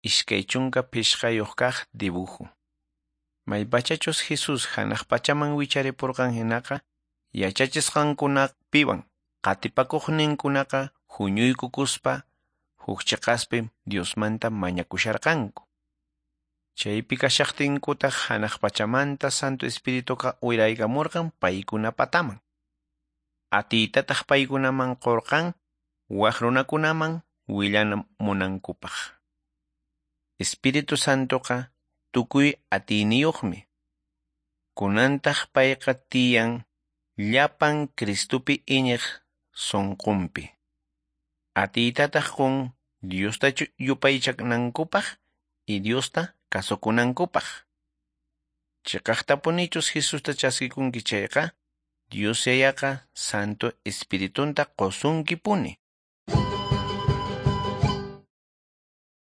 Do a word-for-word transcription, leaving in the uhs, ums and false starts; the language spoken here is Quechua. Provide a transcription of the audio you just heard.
Iskay chunka phishqayuq kaq dibujo. Maypachachus Jesús hanaq pachaman wicharipurqan hinaqa, yachachisqankunapiwan qatipakuqninkunaqa huñuykukuspa huk chiqaspi Diosmanta mañakusharqanku. Chaypi kashaqtinkutaq hanaq pachamanta Santo Espirituqa uraykamurqan paykunapataman. Atiytataq paykunaman qurqan wak runakunaman willanamunankupaq. Espíritu Santoqa tukuy atiyniyuqmi. Kunantaq payqa tiyan llapan Cristupi iñiq sunqunpi. Atiytataq qun Diosta yupaychanankupaq y Diosta kasukunankupaq. Chiqaqtapunichus Jesusta chaskikunki chayqa, Dios Yayaqa Santo Espiritunta qusunkipuni.